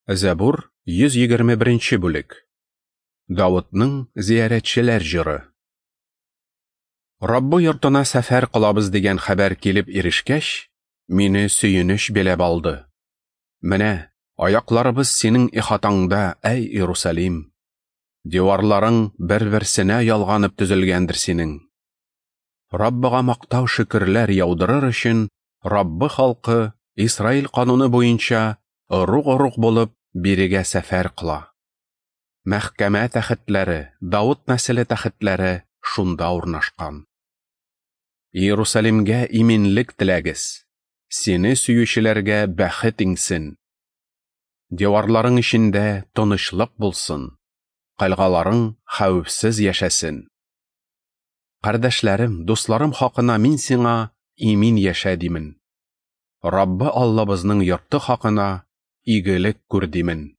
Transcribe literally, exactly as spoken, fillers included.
Зәбур, йөз егерме беренче бүлек. Давытның зиярәтчеләр җыры. Раббы йортына сәфәр кылабыз дигән хәбәр килеп ирешкәч, мине сөенеч биләп алды. Менә аякларыбыз синең ихатаңда, әй Иерусалим. Диварларың бер-берсенә ялганып төзелгәндер синең. Раббыга мактау шөкерләр яудырыр өчен Раббы халкы Исраил кануны буенча ыруг-ыруг булып бирегә сәфәр кыла. Мәхкәмә тәхетләре, Давыт нәселе тәхетләре шунда урнашкан. Иерусалимгә иминлек теләгез, сине сөючеләргә бәхет иңсен. Диварларың эчендә тынычлык булсын, кальгаларың хәвефсез яшәсен. Кардәшләрем, дусларым хакына мин сиңа имин яшә димен. Раббы Аллабызның йорты хакына игелек күр димен.